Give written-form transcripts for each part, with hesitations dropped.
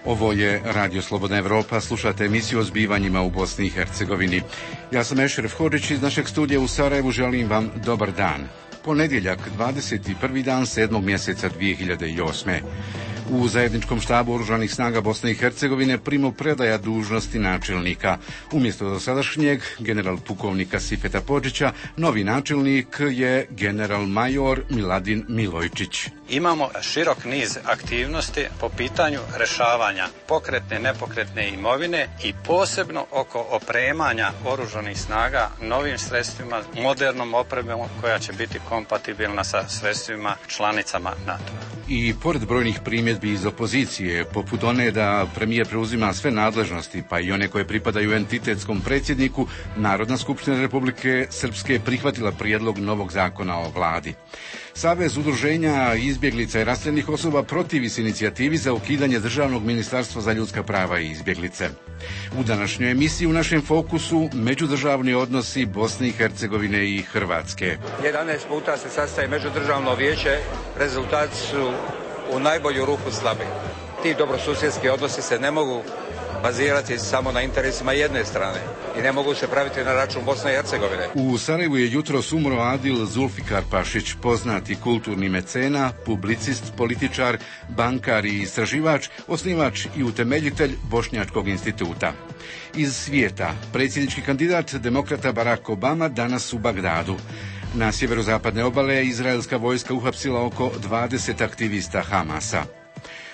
Ovo je Radio Slobodna Evropa, slušate emisiju o zbivanjima u Bosni i Hercegovini. Ja sam Ešref Hodžić iz našeg studija u Sarajevu, želim vam dobar dan. Ponedjeljak, 21. dan 7. mjeseca 2008. U zajedničkom štabu Oružanih snaga Bosne i Hercegovine primopredaja dužnosti načelnika. Umjesto dosadašnjeg general pukovnika Sifeta Podžića, novi načelnik je general major Miladin Milojčić. Imamo širok niz aktivnosti po pitanju rješavanja pokretne, nepokretne imovine i posebno oko opremanja Oružanih snaga novim sredstvima, modernom opremom koja će biti kompatibilna sa sredstvima članicama NATO-a. I pored brojnih primjedbi iz opozicije, poput one da premijer preuzima sve nadležnosti, pa i one koje pripadaju entitetskom predsjedniku, Narodna skupština Republike Srpske prihvatila prijedlog novog zakona o vladi. Savez udruženja izbjeglica i raseljenih osoba protivi se inicijativi za ukidanje Državnog ministarstva za ljudska prava i izbjeglice. U današnjoj emisiji u našem fokusu međudržavni odnosi Bosne i Hercegovine i Hrvatske. 11 puta se sastaje međudržavno vijeće, rezultati su u najbolju ruku slabi. Ti dobrosusjedski odnosi se ne mogu bazirati samo na interesima jedne strane i ne mogu se praviti na račun Bosne i Hercegovine. U Sarajevu je jutros umro Adil Zulfikar Pašić, poznati kulturni mecena, publicist, političar, bankar i istraživač, osnivač i utemeljitelj Bošnjačkog instituta. Iz svijeta, predsjednički kandidat demokrata Barack Obama danas u Bagdadu. Na sjeverozapadne obale izraelska vojska uhapsila oko 20 aktivista Hamasa.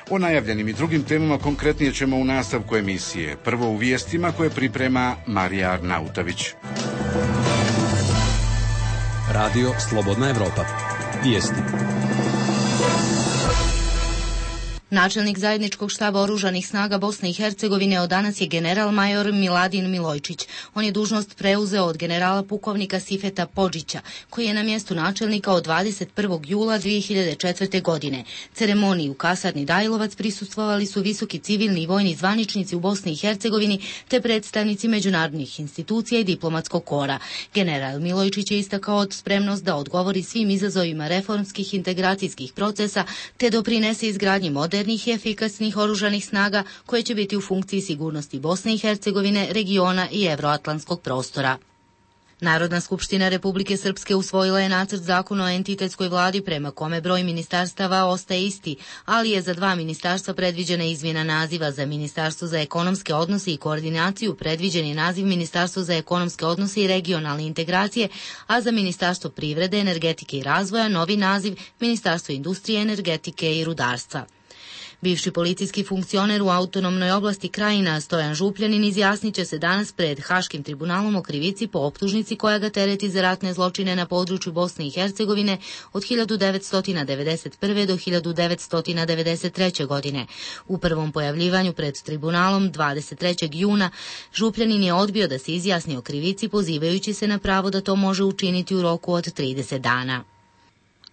O najavljenim i drugim temama konkretnije ćemo u nastavku emisije. Prvo u vijestima koje priprema Marija Arnautović. Radio Slobodna Evropa. Vijesti. Načelnik zajedničkog štaba Oružanih snaga Bosne i Hercegovine od danas je general major Miladin Milojčić. On je dužnost preuzeo od generala pukovnika Sifeta Podžića, koji je na mjestu načelnika od 21. jula 2004. godine. Ceremoniji u kasarni Dajlovac prisustvovali su visoki civilni i vojni zvaničnici u Bosni i Hercegovini te predstavnici međunarodnih institucija i diplomatskog kora. General Milojčić je istakao spremnost da odgovori svim izazovima reformskih integracijskih procesa te doprinese izgradnji modernih i efikasnih oružanih snaga koje će biti u funkciji sigurnosti Bosne i Hercegovine, regiona i evroatlantskog prostora. Narodna skupština Republike Srpske usvojila je nacrt zakona o entitetskoj vladi prema kome broj ministarstava ostaje isti, ali je za 2 ministarstva predviđena izmjena naziva. Za Ministarstvo za ekonomske odnose i koordinaciju predviđen je naziv Ministarstvo za ekonomske odnose i regionalne integracije, a za Ministarstvo privrede, energetike i razvoja novi naziv Ministarstvo industrije, energetike i rudarstva. Bivši policijski funkcioner u autonomnoj oblasti Krajina Stojan Župljanin izjasnit će se danas pred Haškim tribunalom o krivici po optužnici koja ga tereti za ratne zločine na području Bosne i Hercegovine od 1991. do 1993. godine. U prvom pojavljivanju pred tribunalom 23. juna Župljanin je odbio da se izjasni o krivici pozivajući se na pravo da to može učiniti u roku od 30 dana.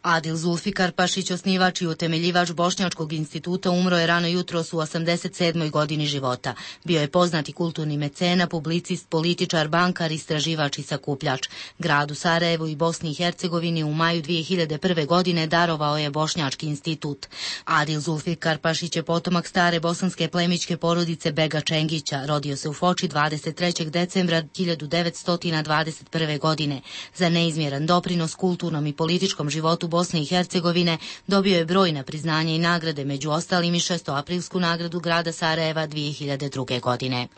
Adil Zulfikar Pašić, osnivač i utemeljivač Bošnjačkog instituta, umro je rano jutros u 87. godini života. Bio je poznati kulturni mecena, publicist, političar, bankar, istraživač i sakupljač. Gradu Sarajevu i Bosni i Hercegovini u maju 2001. godine darovao je Bošnjački institut. Adil Zulfikar Pašić je potomak stare bosanske plemićke porodice Bega Čengića. Rodio se u Foči 23. decembra 1921. godine. Za neizmjeran doprinos kulturnom i političkom životu Bosne i Hercegovine dobio je brojna priznanja i nagrade, među ostalim i 6. aprilsku nagradu grada Sarajeva 2002. godine.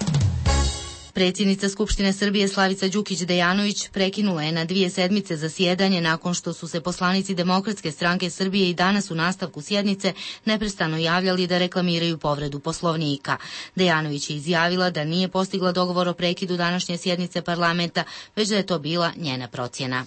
Predsjednica Skupštine Srbije Slavica Đukić-Dejanović prekinula je na 2 sedmice zasjedanje nakon što su se poslanici Demokratske stranke Srbije i danas u nastavku sjednice neprestano javljali da reklamiraju povredu Poslovnika. Dejanović je izjavila da nije postigla dogovor o prekidu današnje sjednice parlamenta, već da je to bila njena procjena.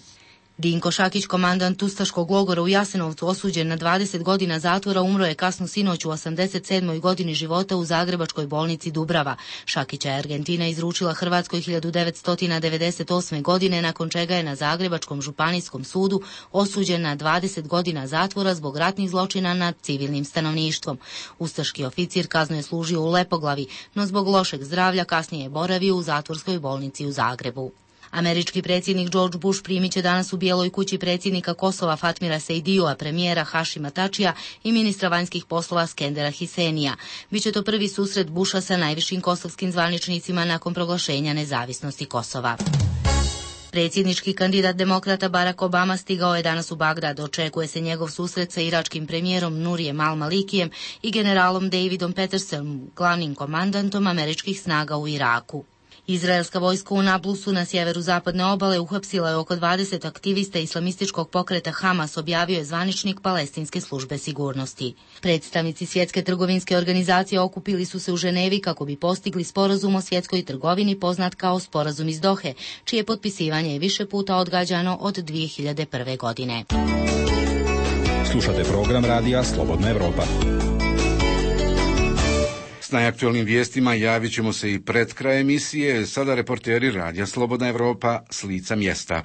Dinko Šakić, komandant ustaškog logora u Jasenovcu, osuđen na 20 godina zatvora, umro je kasnu sinoć u 87. godini života u zagrebačkoj bolnici Dubrava. Šakića je Argentina izručila Hrvatskoj 1998. godine, nakon čega je na Zagrebačkom županijskom sudu osuđen na 20 godina zatvora zbog ratnih zločina nad civilnim stanovništvom. Ustaški oficir kaznu je služio u Lepoglavi, no zbog lošeg zdravlja kasnije je boravio u zatvorskoj bolnici u Zagrebu. Američki predsjednik George Bush primit će danas u Bijeloj kući predsjednika Kosova Fatmira Sejdija, premijera Hašima Tačija i ministra vanjskih poslova Skendera Hisenija. Biće to prvi susret Busha sa najvišim kosovskim zvaničnicima nakon proglašenja nezavisnosti Kosova. Predsjednički kandidat demokrata Barack Obama stigao je danas u Bagdad. Očekuje se njegov susret sa iračkim premijerom Nurijem al-Malikijem i generalom Davidom Petersonom, glavnim komandantom američkih snaga u Iraku. Izraelska vojska u Nablusu na sjeveru zapadne obale uhapsila je oko 20 aktivista islamističkog pokreta Hamas, objavio je zvaničnik Palestinske službe sigurnosti. Predstavnici Svjetske trgovinske organizacije okupili su se u Ženevi kako bi postigli sporazum o svjetskoj trgovini poznat kao sporazum iz Dohe, čije potpisivanje je više puta odgađano od 2001. godine. Slušate program radija Slobodna Evropa. S najaktualnim vijestima javit ćemo se i pred kraj emisije. Sada reporteri radija Slobodna Evropa s lica mjesta.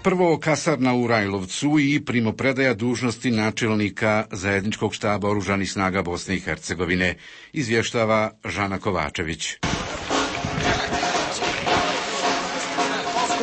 Prvo kasarna u Rajlovcu i primopredaja dužnosti načelnika zajedničkog štaba Oružanih snaga Bosne i Hercegovine, izvještava Žana Kovačević.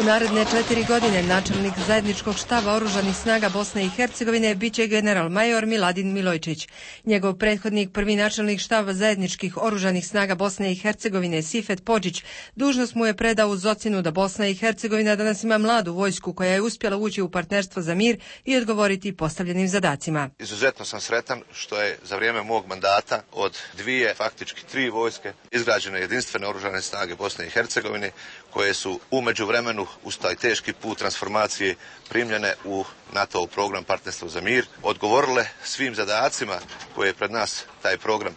U naredne 4 godine načelnik zajedničkog štaba Oružanih snaga Bosne i Hercegovine biće general major Miladin Milojčić. Njegov prethodnik, prvi načelnik štaba zajedničkih Oružanih snaga Bosne i Hercegovine Sifet Podžić, dužnost mu je predao uz ocjenu da Bosna i Hercegovina danas ima mladu vojsku koja je uspjela ući u partnerstvo za mir i odgovoriti postavljenim zadacima. Izuzetno sam sretan što je za vrijeme mog mandata od 3 vojske izgrađene jedinstvene Oružane snage Bosne i Hercegovine, koje su u međuvremenu uz taj teški put transformacije primljene u NATO program Partnerstvo za mir, odgovorile svim zadacima koje je pred nas taj program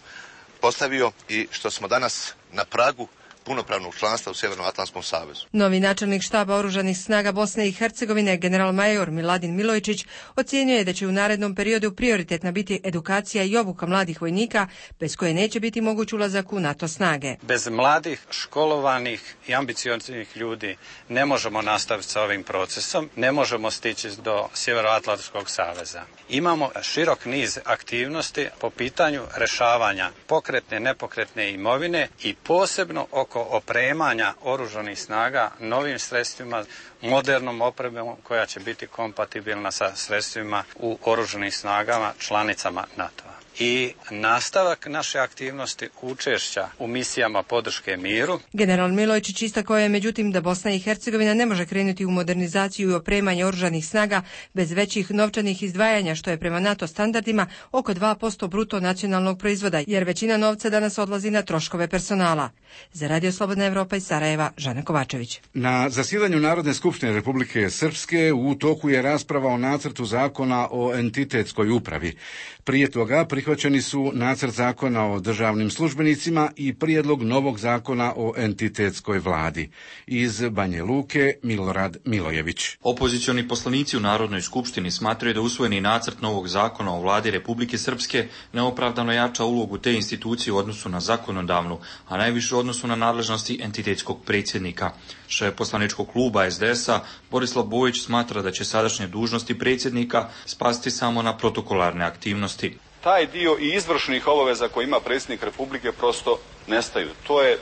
postavio i što smo danas na pragu punopravnog članstva u Sjevernoatlantskom savezu. Novi načelnik štaba Oružanih snaga Bosne i Hercegovine, general major Miladin Milojčić, ocjenjuje da će u narednom periodu prioritetna biti edukacija i obuka mladih vojnika, bez koje neće biti moguć ulazak u NATO snage. Bez mladih, školovanih i ambicioznih ljudi ne možemo nastaviti sa ovim procesom, ne možemo stići do Sjevernoatlantskog saveza. Imamo širok niz aktivnosti po pitanju rješavanja pokretne, nepokretne imovine i posebno oko opremanja oružanih snaga novim sredstvima, modernom opremom koja će biti kompatibilna sa sredstvima u oružanim snagama članicama NATO-a. I nastavak naše aktivnosti učešća u misijama podrške miru. General Milojčić istakao je međutim da Bosna i Hercegovina ne može krenuti u modernizaciju i opremanje oružanih snaga bez većih novčanih izdvajanja, što je prema NATO standardima oko 2% bruto nacionalnog proizvoda, jer većina novca danas odlazi na troškove personala. Za Radio Slobodna Evropa iz Sarajeva, Žana Kovačević. Na zasjedanju Narodne skupštine Republike Srpske u toku je rasprava o nacrtu zakona o entitetskoj upravi. Prije toga prihvaćeni su nacrt zakona o državnim službenicima i prijedlog novog zakona o entitetskoj vladi. Iz Banje Luke, Milorad Milojević. Opozicioni poslanici u Narodnoj skupštini smatraju da usvojeni nacrt novog zakona o vladi Republike Srpske neopravdano jača ulogu te institucije u odnosu na zakonodavnu, a najviše u odnosu na nadležnosti entitetskog predsjednika. Šef poslaničkog kluba SDS-a Borislav Bojić smatra da će sadašnje dužnosti predsjednika spasti samo na protokolarne aktivnosti. Taj dio i izvršnih obaveza koje ima predsjednik Republike prosto nestaju. To je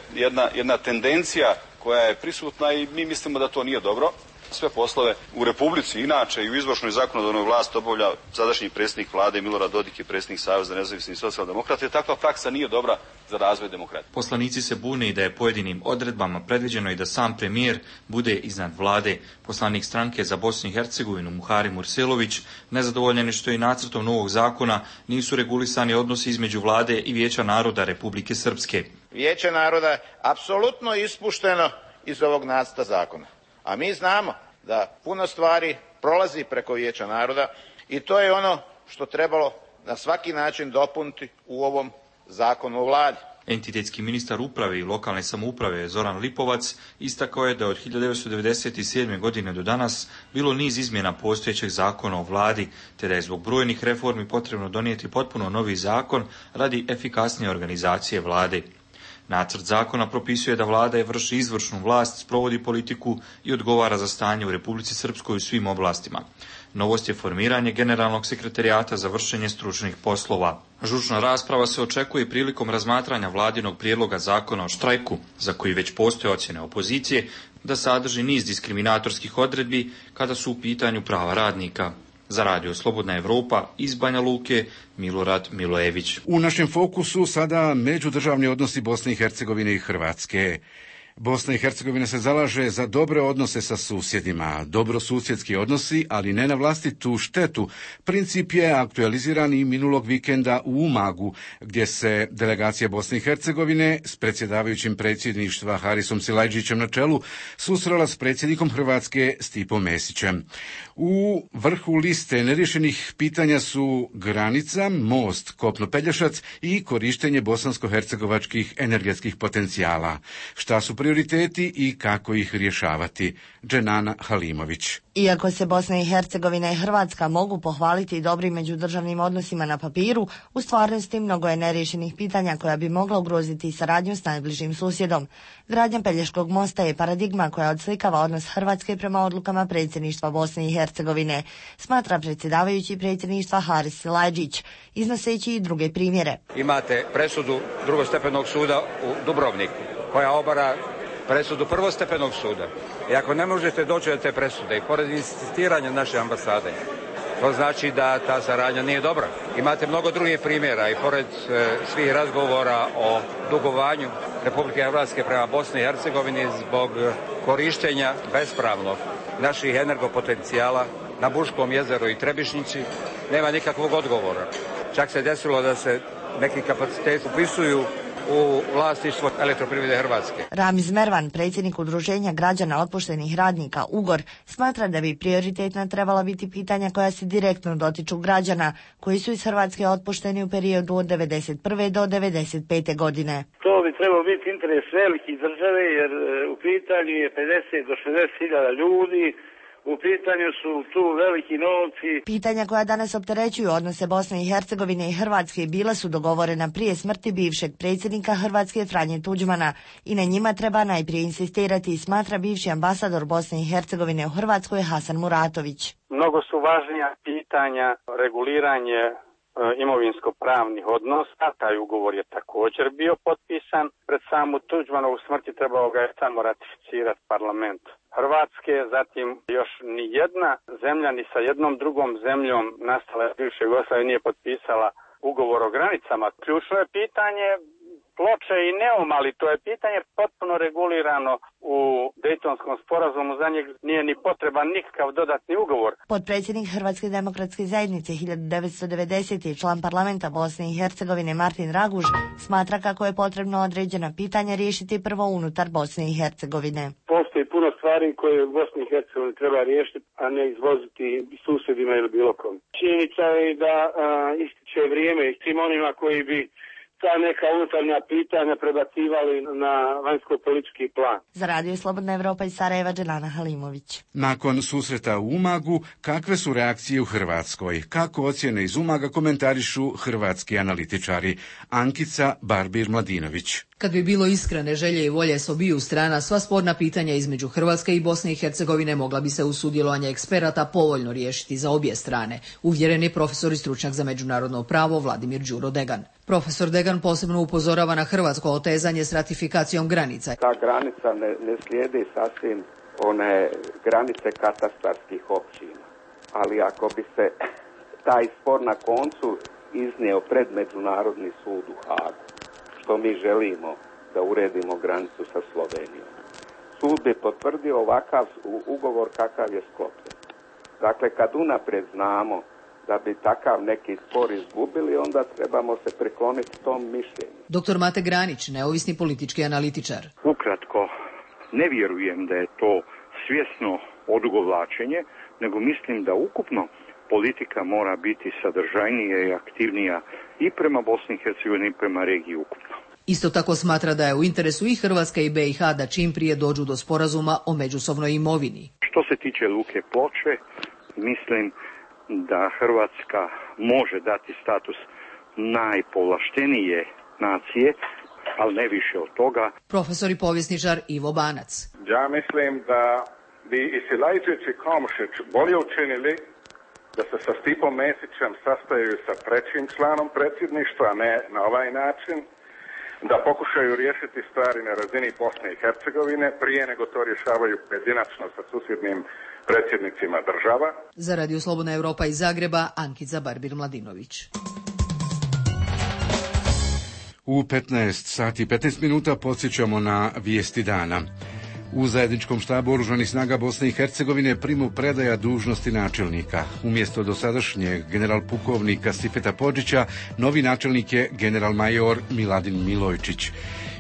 jedna tendencija koja je prisutna i mi mislimo da to nije dobro. Sve poslove u Republici inače i u izvršnoj zakonodavnoj vlasti obavlja sadašnji predsjednik vlade Milorad Dodik i predsjednik Saveza nezavisnih socijaldemokrata. Takva praksa nije dobra za razvoj demokratije. Poslanici se bune i da je pojedinim odredbama predviđeno i da sam premijer bude iznad vlade. Poslanik stranke za Bosnu i Hercegovinu Muhari Murselović nezadovoljen je što i nacrtom novog zakona nisu regulisani odnosi između vlade i Vijeća naroda Republike Srpske. Vijeće naroda je apsolutno ispušteno iz ovog nacrta zakona. A mi znamo da puno stvari prolazi preko Vijeća naroda i to je ono što trebalo na svaki način dopuniti u ovom zakonu o vladi. Entitetski ministar uprave i lokalne samouprave Zoran Lipovac istakao je da od 1997. godine do danas bilo niz izmjena postojećeg zakona o vladi, te da je zbog brojnih reformi potrebno donijeti potpuno novi zakon radi efikasnije organizacije vlade. Nacrt zakona propisuje da vlada vrši izvršnu vlast, sprovodi politiku i odgovara za stanje u Republici Srpskoj u svim oblastima. Novost je formiranje generalnog sekretarijata za vršenje stručnih poslova. Žučna rasprava se očekuje prilikom razmatranja vladinog prijedloga zakona o štrajku, za koji već postoje ocjene opozicije, da sadrži niz diskriminatorskih odredbi kada su u pitanju prava radnika. Za Radio Slobodna Evropa iz Banja Luke, Milorad Milojević. U našem fokusu sada međudržavni odnosi Bosne i Hercegovine i Hrvatske. Bosna i Hercegovina se zalaže za dobre odnose sa susjedima, dobrosusjedski odnosi, ali ne na vlastitu štetu. Princip je aktualiziran i minulog vikenda u Umagu, gdje se delegacija Bosne i Hercegovine s predsjedavajućim predsjedništva Harisom Silajdžićem na čelu susrela s predsjednikom Hrvatske Stipom Mesićem. U vrhu liste neriješenih pitanja su granica, most Kopno-Pelješac i korištenje bosansko-hercegovačkih energetskih potencijala. Šta su prioriteti i kako ih rješavati? Dženana Halimović. Iako se Bosna i Hercegovina i Hrvatska mogu pohvaliti dobrim međudržavnim odnosima na papiru, u stvarnosti mnogo je neriješenih pitanja koja bi mogla ugroziti saradnju s najbližim susjedom. Gradnja Pelješkog mosta je paradigma koja odslikava odnos Hrvatske prema odlukama predsjedništva Bosne i Hercegovine, smatra predsjedavajući predsjedništva Haris Silajdžić, iznoseći i druge primjere. Imate presudu drugostepenog suda u Dubrovniku, koja obara presudu prvostepenog suda. I ako ne možete doći do te presude i pored insistiranja naše ambasade, to znači da ta saradnja nije dobra. Imate mnogo drugih primjera i pored svih razgovora o dugovanju Republike Hrvatske prema Bosni i Hercegovini zbog korištenja bespravnog naših energopotencijala na Buškom jezeru i Trebišnjici, nema nikakvog odgovora. Čak se desilo da se neki kapaciteti upisuju u vlasništvo Elektroprivrede Hrvatske. Ramiz Mervan, predsjednik Udruženja građana otpuštenih radnika UGOR, smatra da bi prioritetna trebala biti pitanja koja se direktno dotiču građana koji su iz Hrvatske otpušteni u periodu od 1991. do 1995. godine. To bi trebao biti interes velikih države jer u pitanju je 50 do 60 hiljada ljudi. U pitanju su tu veliki novci. Pitanja koja danas opterećuju odnose Bosne i Hercegovine i Hrvatske bila su dogovorena prije smrti bivšeg predsjednika Hrvatske Franje Tuđmana i na njima treba najprije insistirati, smatra bivši ambasador Bosne i Hercegovine u Hrvatskoj Hasan Muratović. Mnogo su važnija pitanja reguliranje imovinsko-pravnih odnosa. Taj ugovor je također bio potpisan. Pred samu Tuđmanovu smrti trebao ga je samo ratificirati parlament Hrvatske, zatim još ni jedna zemlja ni sa jednom drugom zemljom nastala iz bivše Jugoslavije nije potpisala ugovor o granicama. Ključno je pitanje Ploče i Neum, ali to je pitanje potpuno regulirano u Dejtonskom sporazumu, za njeg nije ni potreban nikakav dodatni ugovor. Potpredsjednik Hrvatske demokratske zajednice 1990. i član parlamenta Bosne i Hercegovine Martin Raguž smatra kako je potrebno određena pitanja riješiti prvo unutar Bosne i Hercegovine. Postoji puno stvari koje u Bosni i Hercegovini treba riješiti, a ne izvoziti susjedima ili bilo kom. Činjenica je da ističe vrijeme i svim onima koji bi ta neka unutarnja pitanja prebacivali na vanjsko-politički plan. Za Radio Slobodna Evropa iz Sarajeva, Dženana Halimović. Nakon susreta u Umagu, kakve su reakcije u Hrvatskoj? Kako ocjene iz Umaga komentarišu hrvatski analitičari? Ankica Barbir-Mladinović. Kad bi bilo iskrene želje i volje s obiju strana, sva sporna pitanja između Hrvatske i Bosne i Hercegovine mogla bi se uz sudjelovanje eksperata povoljno riješiti za obje strane, uvjeren je profesor i stručnjak za međunarodno pravo Vladimir Đuro Degan. Profesor Degan posebno upozorava na hrvatsko otezanje s ratifikacijom granica. Ta granica ne slijedi sasvim one granice katastarskih općina, ali ako bi se taj spor na koncu iznio pred Međunarodni sud u Hagu, što mi želimo da uredimo granicu sa Slovenijom, sud bi potvrdio ovakav ugovor kakav je sklopljen. Dakle, kad unaprijed znamo da bi takav neki spor izgubili, onda trebamo se prikloniti tom mišljenju. Dr. Mate Granić, neovisni politički analitičar. Ukratko, ne vjerujem da je to svjesno odugovlačenje, nego mislim da ukupno politika mora biti sadržajnija i aktivnija i prema Bosni i Hercegovini i prema regiji ukupno. Isto tako smatra da je u interesu i Hrvatske i BiH da čim prije dođu do sporazuma o međusobnoj imovini. Što se tiče Luke Ploče, mislim da Hrvatska može dati status najpovlaštenije nacije ali ne više od toga. Profesor i povjesničar Ivo Banac. Ja mislim da bi i Silajčić i Komšić bolje učinili da se sa Stipom Mesićem sastaju sa trećim članom predsjedništva, a ne na ovaj način, da pokušaju riješiti stvari na razini Bosne i Hercegovine prije nego to rješavaju pojedinačno sa susjednim predsjednicima država. Za Radio Slobodna Evropa iz Zagreba, Ankica Barbir-Mladinović. U 15 sati i 15 minuta podsjećamo na vijesti dana. U zajedničkom štabu Oružanih snaga Bosne i Hercegovine primopredaja dužnosti načelnika. Umjesto dosadašnjeg general pukovnika Sifeta Podžića, novi načelnik je general major Miladin Milojčić.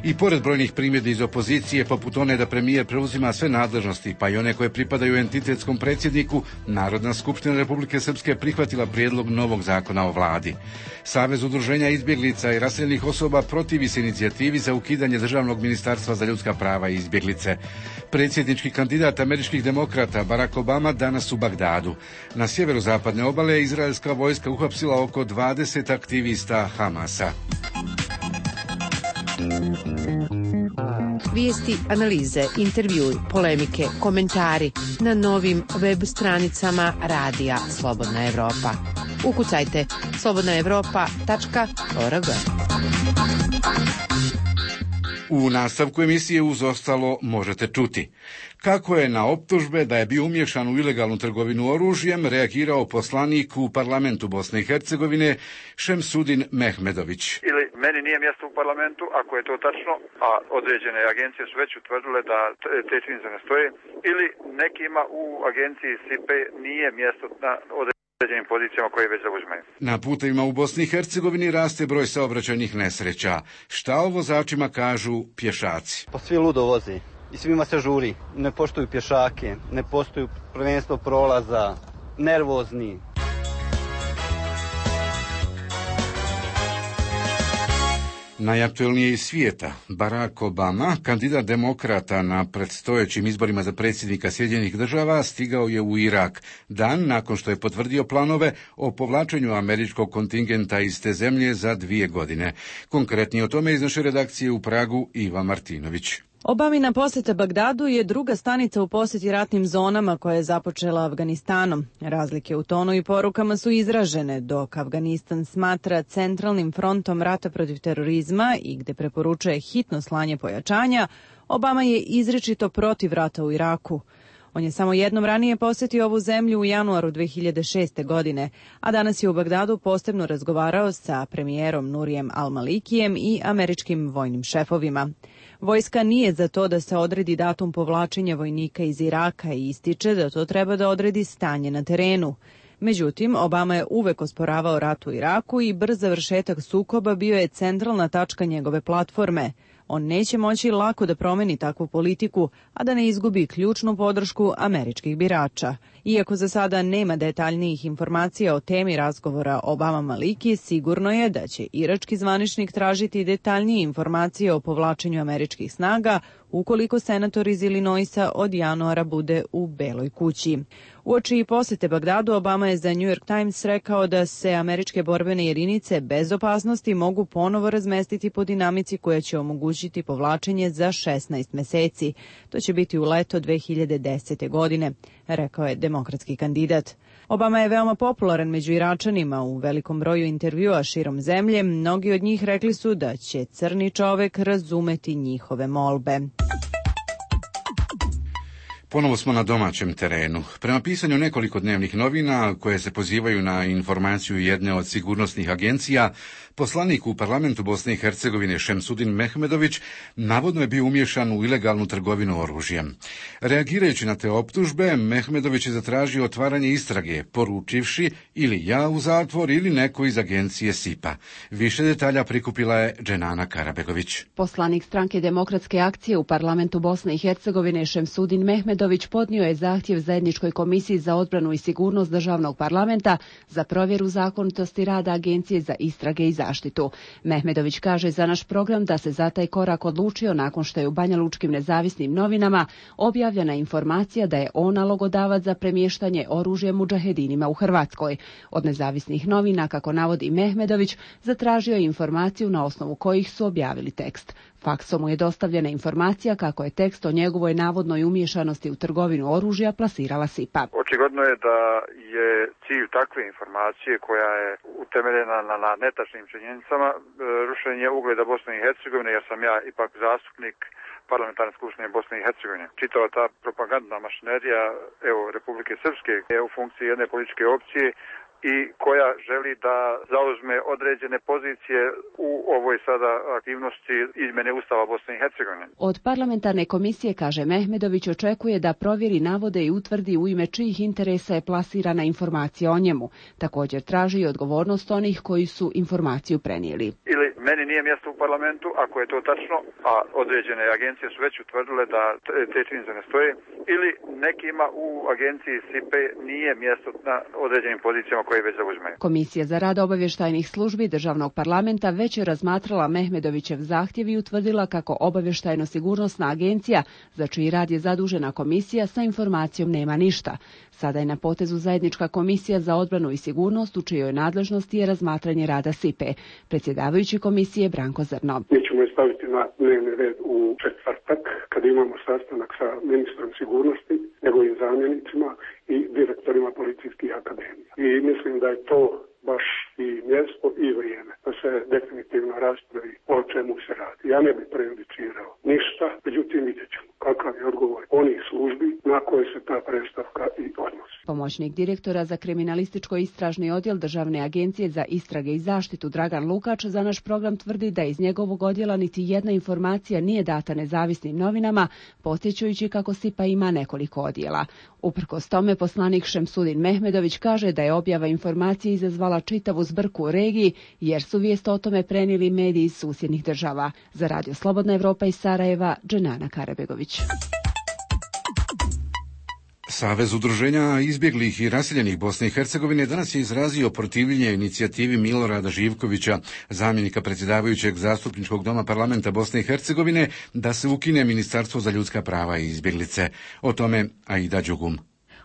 I pored brojnih primjedbi iz opozicije, poput one da premijer preuzima sve nadležnosti, pa i one koje pripadaju entitetskom predsjedniku, Narodna skupština Republike Srpske prihvatila prijedlog novog zakona o vladi. Savez udruženja izbjeglica i raseljenih osoba protivi se inicijativi za ukidanje Državnog ministarstva za ljudska prava i izbjeglice. Predsjednički kandidat američkih demokrata Barack Obama danas u Bagdadu. Na sjeverozapadne obale izraelska vojska uhapsila oko 20 aktivista Hamasa. Vijesti, analize, intervjui, polemike, komentari na novim web stranicama Radija Slobodna Evropa. Ukucajte slobodnaevropa.org. U nastavku emisije uz ostalo možete čuti kako je na optužbe da je bio umiješan u ilegalnu trgovinu oružjem reagirao poslanik u parlamentu Bosne i Hercegovine Šemsudin Mehmedović. Meni nije mjesto u parlamentu, ako je to tačno, a određene agencije su već utvrdile da te činjenice ne stoje, ili nekima u agenciji SIPE nije mjesto na određenim pozicijama koje već zauzimaju. Na putevima u Bosni i Hercegovini raste broj saobraćajnih nesreća. Šta o vozačima kažu pješaci? Pa svi ludo vozi i svima se žuri. Ne poštuju pješake, ne poštuju prvenstvo prolaza, nervozni. Najaktuelnije iz svijeta, Barack Obama, kandidat demokrata na predstojećim izborima za predsjednika Sjedinjenih država, stigao je u Irak, dan nakon što je potvrdio planove o povlačenju američkog kontingenta iz te zemlje za 2 godine. Konkretnije o tome iz naše redakcije u Pragu Iva Martinović. Obamina posjeta Bagdadu je druga stanica u posjeti ratnim zonama koja je započela Afganistanom. Razlike u tonu i porukama su izražene, dok Afganistan smatra centralnim frontom rata protiv terorizma i gde preporučuje hitno slanje pojačanja, Obama je izričito protiv rata u Iraku. On je samo jednom ranije posjetio ovu zemlju u januaru 2006. godine, a danas je u Bagdadu posebno razgovarao sa premijerom Nurijem Al-Malikijem i američkim vojnim šefovima. Vojska nije za to da se odredi datum povlačenja vojnika iz Iraka i ističe da to treba da odredi stanje na terenu. Međutim, Obama je uvek osporavao rat u Iraku i brz završetak sukoba bio je centralna tačka njegove platforme. On neće moći lako da promeni takvu politiku, a da ne izgubi ključnu podršku američkih birača. Iako za sada nema detaljnijih informacija o temi razgovora Obama-Maliki, sigurno je da će irački zvaničnik tražiti detaljnije informacije o povlačenju američkih snaga ukoliko senator iz Illinoisa od januara bude u Beloj kući. Uoči posjete Bagdadu, Obama je za New York Times rekao da se američke borbene jedinice bez opasnosti mogu ponovo razmestiti po dinamici koja će omogućiti povlačenje za 16 meseci. To će biti u leto 2010. godine, rekao je demokratski kandidat. Obama je veoma popularan među Iračanima. U velikom broju intervjua širom zemlje mnogi od njih rekli su da će crni čovek razumeti njihove molbe. Ponovo smo na domaćem terenu. Prema pisanju nekoliko dnevnih novina koje se pozivaju na informaciju jedne od sigurnosnih agencija, poslanik u parlamentu Bosne i Hercegovine Šemsudin Mehmedović navodno je bio umiješan u ilegalnu trgovinu oružjem. Reagirajući na te optužbe, Mehmedović je zatražio otvaranje istrage, poručivši ili ja u zatvor ili neko iz agencije SIPA. Više detalja prikupila je Dženana Karabegović. Poslanik stranke Demokratske akcije u parlamentu Bosne i Hercegovine Šemsudin Mehmedović Mehmedović podnio je zahtjev Zajedničkoj komisiji za odbranu i sigurnost državnog parlamenta za provjeru zakonitosti rada Agencije za istrage i zaštitu. Mehmedović kaže za naš program da se za taj korak odlučio nakon što je u banjalučkim nezavisnim novinama objavljena informacija da je on nalogodavac za premještanje oružja mudžahedinima u Hrvatskoj. Od nezavisnih novina, kako navodi Mehmedović, zatražio je informaciju na osnovu kojih su objavili tekst. Faksom mu je dostavljena informacija kako je tekst o njegovoj navodnoj umiješanosti u trgovinu oružja plasirala SIPA. Očigledno je da je cilj takve informacije koja je utemeljena na netačnim činjenicama rušenje ugleda Bosne i Hercegovine, jer sam ja ipak zastupnik Parlamentarne skupštine Bosne i Hercegovine. Čitava ta propagandna mašinerija Republike Srpske je u funkciji jedne političke opcije i koja želi da zauzme određene pozicije u ovoj sada aktivnosti izmjene Ustava Bosne i Hercegovine. Od parlamentarne komisije, kaže Mehmedović, očekuje da provjeri navode i utvrdi u ime čijih interesa je plasirana informacija o njemu. Također traži i odgovornost onih koji su informaciju prenijeli. Ili meni nije mjesto u parlamentu, ako je to tačno, a određene agencije su već utvrdile da te činjenice ne stoje, ili nekima u agenciji SIPE nije mjesto na određenim pozicijama koje već zauzmeju. Komisija za rad obavještajnih službi državnog parlamenta već je razmatrala Mehmedovićev zahtjev i utvrdila kako obavještajno-sigurnosna agencija, za čiji rad je zadužena komisija, sa informacijom nema ništa. Sada je na potezu Zajednička komisija za odbranu i sigurnost, u čijoj nadležnosti je razmatranje rada SIPE. Predsjedavajući komisije Branko Zrno. Mi ćemo je staviti na dnevni red u četvrtak, kad imamo sastanak sa ministrom sigurnosti, njegovim zamjenicima i direktorima policijskih akademija. I mislim da je to baš i mjesto i vrijeme da se definitivno raspravi o čemu se radi. Ja ne bih prejudicirao ništa, međutim vidjet ćemo kakav je odgovor onih službi na koje se ta predstavka i odnosi. Pomoćnik direktora za kriminalističko-istražni odjel Državne agencije za istrage i zaštitu Dragan Lukač za naš program tvrdi da iz njegovog odjela niti jedna informacija nije data nezavisnim novinama, podsjećajući kako SIPA ima nekoliko odjela. Uprkos tome, poslanik Šemsudin Mehmedović kaže da je objava informacije izazvala čitavu zbrku u regiji, jer su vijest o tome prenijeli mediji iz susjednih država. Za Radio Slobodna Evropa iz Sarajeva, Dženana Karabegović. Savez udruženja izbjeglih i raseljenih Bosne i Hercegovine danas je izrazio protivljenje inicijativi Milorada Živkovića, zamjenika predsjedavajućeg Zastupničkog doma parlamenta Bosne i Hercegovine, da se ukine Ministarstvo za ljudska prava i izbjeglice. O tome Aida Đugum.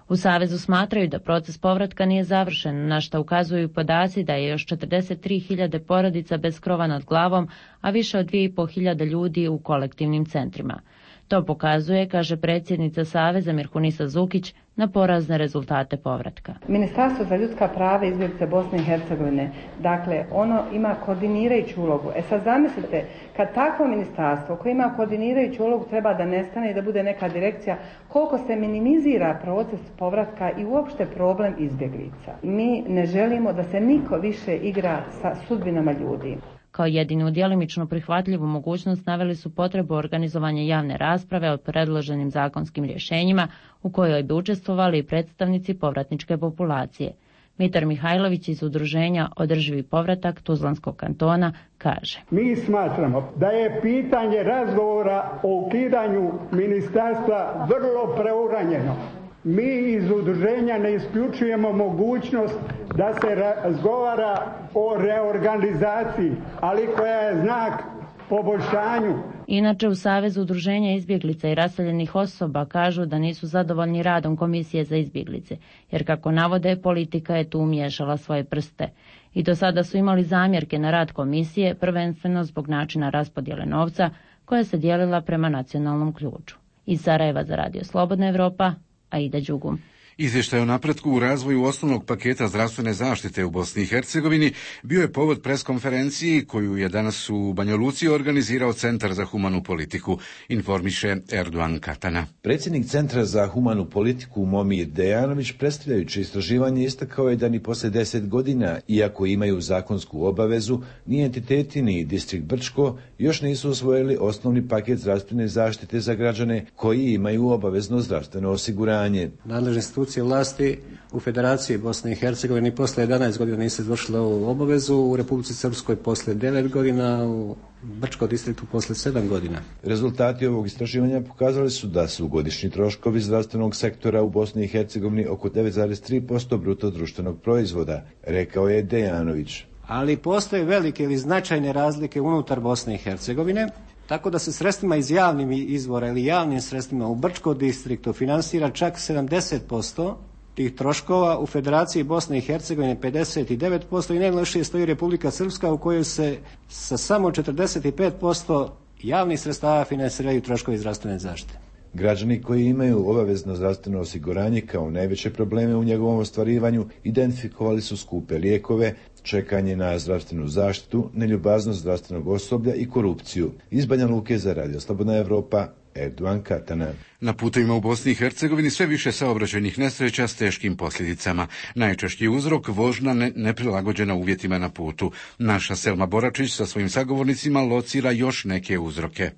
U Savezu smatraju da proces povratka nije završen, na što ukazuju podaci da je još 43.000 porodica bez krova nad glavom, a više od 2.500 ljudi u kolektivnim centrima. To pokazuje, kaže predsjednica Saveza Mirhunisa Zukić, na porazne rezultate povratka. Ministarstvo za ljudska prava i izbjeglice Bosne i Hercegovine, dakle, ono ima koordinirajuću ulogu. Sad zamislite, kad takvo ministarstvo koje ima koordinirajuću ulogu treba da nestane i da bude neka direkcija, koliko se minimizira proces povratka i uopšte problem izbjeglica. Mi ne želimo da se niko više igra sa sudbinama ljudi. Kao jedinu djelimično prihvatljivu mogućnost naveli su potrebu organizovanja javne rasprave o predloženim zakonskim rješenjima u kojoj bi učestvovali i predstavnici povratničke populacije. Mitar Mihajlović iz udruženja Održivi povratak Tuzlanskog kantona kaže: Mi smatramo da je pitanje razgovora o ukidanju ministarstva vrlo preuranjeno. Mi iz udruženja ne isključujemo mogućnost da se razgovara o reorganizaciji, ali koja je znak poboljšanju. Inače, u Savezu udruženja izbjeglica i raseljenih osoba kažu da nisu zadovoljni radom Komisije za izbjeglice, jer kako navode, politika je tu umiješala svoje prste. I do sada su imali zamjerke na rad komisije, prvenstveno zbog načina raspodjele novca, koja se dijelila prema nacionalnom ključu. Iz Sarajeva za Radio Slobodna Evropa, Aida Đugum. Izvještaj o napretku u razvoju osnovnog paketa zdravstvene zaštite u Bosni i Hercegovini bio je povod preskonferenciji koju je danas u Banja Luci organizirao Centar za humanu politiku, informiše Erdogan Katana. Predsjednik Centra za humanu politiku Momir Dejanović, predstavljajući istraživanje, istakao je da ni poslije 10 godina, iako imaju zakonsku obavezu, ni entiteti ni distrikt Brčko još nisu usvojili osnovni paket zdravstvene zaštite za građane koji imaju obavezno zdravstveno osiguranje. Nadležne institucije institucije vlasti u Federaciji Bosne i Hercegovine poslije 11 godina nisu izvršile ovu obavezu, u Republici Srpskoj poslije 9 godina, u Brčkom distriktu poslije 7 godina. Rezultati ovog istraživanja pokazali su da su godišnji troškovi zdravstvenog sektora u Bosni i Hercegovini oko 9,3% bruto društvenog proizvoda, rekao je Dejanović. Ali postoje velike ili značajne razlike unutar Bosne i Hercegovine, tako da se sredstvima iz javnih izvora ili javnim sredstvima u Brčkom distriktu finansira čak 70% tih troškova, u Federaciji Bosne i Hercegovine 59% i najlošije stoji Republika Srpska u kojoj se sa samo 45% javnih sredstava finansiraju troškovi zdravstvene zaštite. Građani koji imaju obavezno zdravstveno osiguranje kao najveće probleme u njegovom ostvarivanju identifikovali su skupe lijekove, čekanje na zdravstvenu zaštitu, neljubaznost zdravstvenog osoblja i korupciju. Iz Banja Luke za Radio Slobodna Evropa, Erdogan Katana. Na putovima u Bosni i Hercegovini sve više saobraćajnih nesreća s teškim posljedicama. Najčešći uzrok vožnja neprilagođena uvjetima na putu. Naša Selma Boračić sa svojim sagovornicima locira još neke uzroke.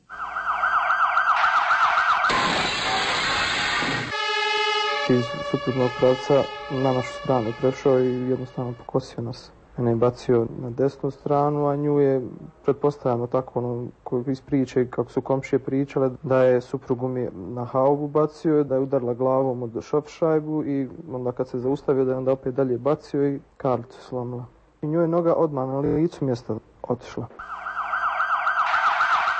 Iz suprotnog pravca na našu stranu prešao i jednostavno pokosio nas. Mene je bacio na desnu stranu, a nju je, pretpostavljamo tako, iz priče, kako su komšije pričale, da je suprugu mi na haubu bacio, da je udarila glavom od šofšajbu i onda kad se zaustavio da je onda opet dalje bacio i karlicu slomila. I nju je noga odmah na licu mjesta otišla.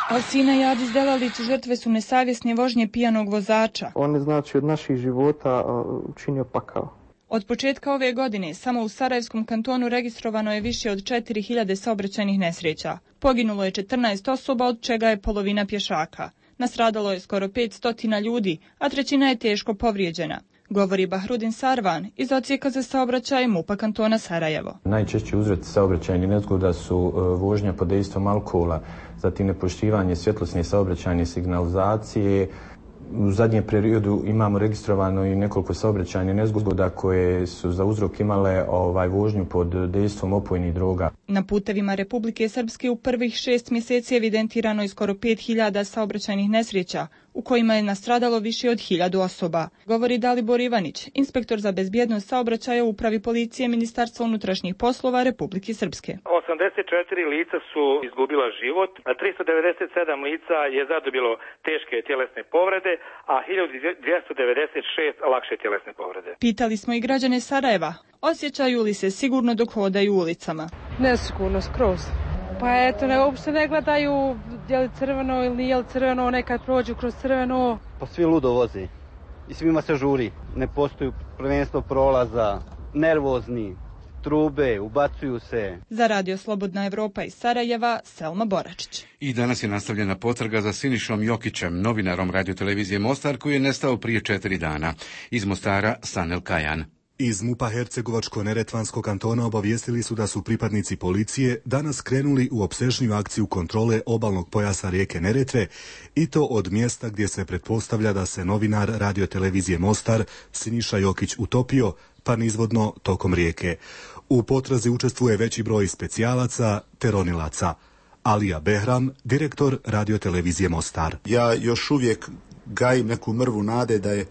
Alsina i Adis Delalić žrtve su nesavjesne vožnje pijanog vozača. On je znači od naših života učinio pakao. Od početka ove godine samo u Sarajevskom kantonu registrovano je više od 4000 saobraćajnih nesreća. Poginulo je 14 osoba, od čega je polovina pješaka. Nastradalo je skoro 500 ljudi, a trećina je teško povrijeđena, govori Bahrudin Sarvan iz odsjeka za saobraćaj MUP-a kantona Sarajevo. Najčešći uzroci saobraćajnih nezgoda su vožnja pod dejstvom alkohola, zatim nepoštivanje svjetlosne saobraćajne signalizacije. U zadnjem periodu imamo registrovano i nekoliko saobraćajnih nezgoda koje su za uzrok imale vožnju pod dejstvom opojnih droga. Na putevima Republike Srpske u prvih 6 mjeseci evidentirano je skoro 5000 saobraćajnih nesreća, u kojima je nastradalo više od 1000 osoba, govori Dalibor Ivanić, inspektor za bezbjednost saobraćaja u upravi policije Ministarstva unutrašnjih poslova Republike Srpske. 84 lica su izgubila život, a 397 lica je zadobilo teške tjelesne povrede, a 1296 lakše tjelesne povrede. Pitali smo i građane Sarajeva, osjećaju li se sigurno dok hodaju ulicama. Nesigurno skroz. Pa eto, uopšte ne gledaju je li crveno ili nije li crveno, nekad prođu kroz crveno. Pa svi ludo vozi i svima se žuri. Ne postoji prvenstvo prolaza, nervozni, trube, ubacuju se. Za Radio Slobodna Evropa iz Sarajeva, Selma Boračić. I danas je nastavljena potraga za Sinišom Jokićem, novinarom radiotelevizije Mostar, koji je nestao prije 4 dana. Iz Mostara, Sanel Kajan. Iz MUP-a Hercegovačko-neretvanskog kantona obavijestili su da su pripadnici policije danas krenuli u opsežniju akciju kontrole obalnog pojasa rijeke Neretve i to od mjesta gdje se pretpostavlja da se novinar radiotelevizije Mostar Siniša Jokić utopio, pa nizvodno tokom rijeke. U potrazi učestvuje veći broj specijalaca te ronilaca. Alija Behram, direktor radiotelevizije Mostar. Ja još uvijek gajim neku mrvu nade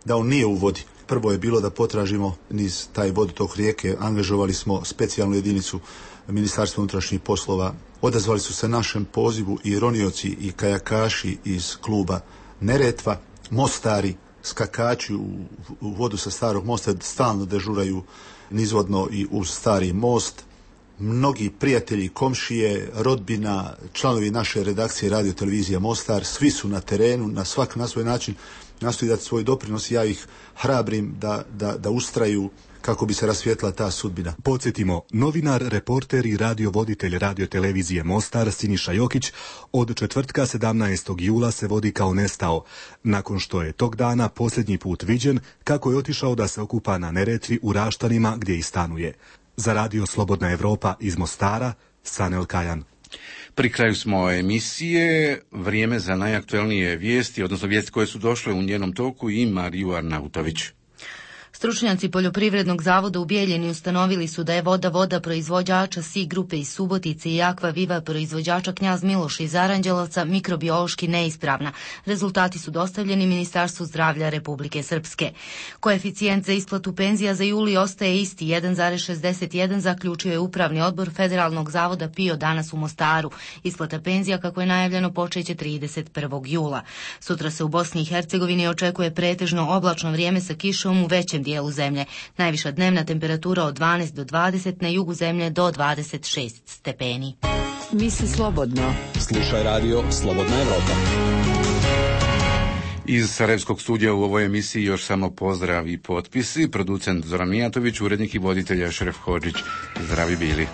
da on nije u vodi. Prvo je bilo da potražimo niz taj vodotok rijeke, angažovali smo specijalnu jedinicu Ministarstva unutrašnjih poslova, odazvali su se našem pozivu i ronioci i kajakaši iz kluba Neretva, mostari, skakači u vodu sa starog mosta, stalno dežuraju nizvodno i uz stari most. Mnogi prijatelji, komšije, rodbina, članovi naše redakcije radiotelevizije Mostar, svi su na terenu, svak na svoj način nastoji dati svoj doprinos i ja ih hrabrim da ustraju kako bi se rasvijetla ta sudbina. Podsjetimo, novinar, reporter i radiovoditelj radiotelevizije Mostar Siniša Jokić od četvrtka 17. jula se vodi kao nestao, nakon što je tog dana posljednji put viđen kako je otišao da se okupa na Neretvi u Raštanima gdje i stanuje. Za Radio Slobodna Evropa iz Mostara, Sanel Kajan. Pri kraju smo emisije, vrijeme za najaktuelnije vijesti, odnosno vijesti koje su došle u njenom toku i Mariju Arnautović. Stručnjaci Poljoprivrednog zavoda u Bijeljini ustanovili su da je voda proizvođača SI grupe iz Subotice i Aqua Viva proizvođača Knjaz Miloš iz Aranđelovca mikrobiološki neispravna. Rezultati su dostavljeni Ministarstvu zdravlja Republike Srpske. Koeficijent za isplatu penzija za juli ostaje isti 1,61, zaključio je Upravni odbor Federalnog zavoda PIO danas u Mostaru. Isplata penzija, kako je najavljeno, počeće 31. jula. Sutra se u Bosni i Hercegovini očekuje pretežno oblačno vrijeme sa kišom u većem dijelu zemlje. Najviša dnevna temperatura od 12 do 20, na jugu zemlje do 26 stepeni. Misli slobodno. Slušaj radio Slobodna Evropa. Iz Sarajevskog studija u ovoj emisiji još samo pozdrav i potpisi. Producent Zoran Mijatović, urednik i voditelj Šeref Hodžić. Zdravi bili.